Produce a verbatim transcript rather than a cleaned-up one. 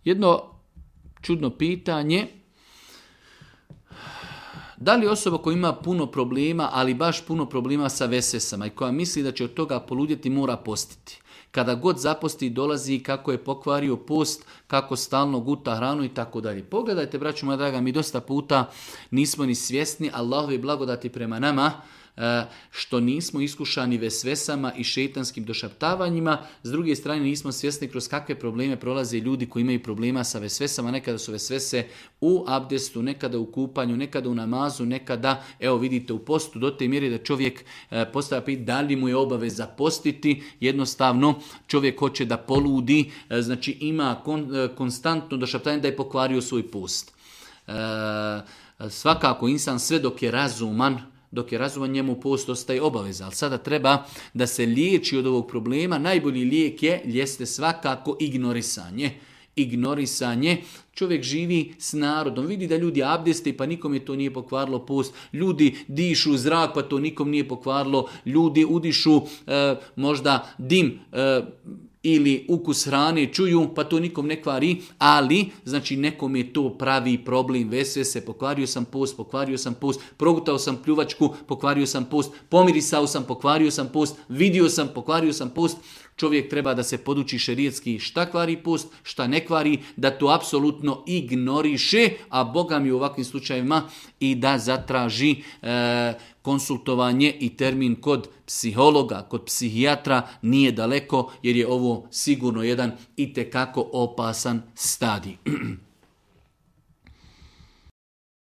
Jedno čudno pitanje. Da li osoba koja ima puno problema, ali baš puno problema sa vesvesama i koja misli da će od toga poludjeti, mora postiti? Kada god zaposti dolazi kako je pokvario post, kako stalno guta hranu i tako dalje. Pogledajte, braćo moja draga, mi dosta puta nismo ni svjesni Allahove blagodati prema nama, što nismo iskušani vesvesama i šejtanskim došaptavanjima. S druge strane nismo svjesni kroz kakve probleme prolaze ljudi koji imaju problema sa vesvesama. Nekada su vesvese u abdestu, nekada u kupanju, nekada u namazu, nekada, evo vidite, u postu, do te mjere da čovjek postavlja pitanje da li mu je obaveza postiti. Jednostavno čovjek hoće da poludi, znači ima kon, konstantno došaptanje da je pokvario svoj post. E, svakako insan sve dok je razuman, dok je razuman, njemu post ostaje obaveza. Ali sada treba da se liječi od ovog problema. Najbolji lijek je, jeste svakako ignorisanje. Ignorisanje. Čovjek živi s narodom. Vidi da ljudi abdeste pa nikom je to nije pokvarilo post. Ljudi dišu zrak pa to nikom nije pokvarilo. Ljudi udišu e, možda dim e, ili ukus hrane čuju, pa to nikom ne kvari, ali znači nekom je to pravi problem, vesvese, pokvario sam post, pokvario sam post, progutao sam pljuvačku, pokvario sam post, pomirisao sam, pokvario sam post, vidio sam, pokvario sam post. Čovjek treba da se poduči šerijetski šta kvari post, šta ne kvari, da to apsolutno ignoriše, a Boga mi u ovakvim slučajevima i da zatraži e, konsultovanje i termin kod psihologa, kod psihijatra nije daleko, jer je ovo sigurno jedan itekako opasan stadij.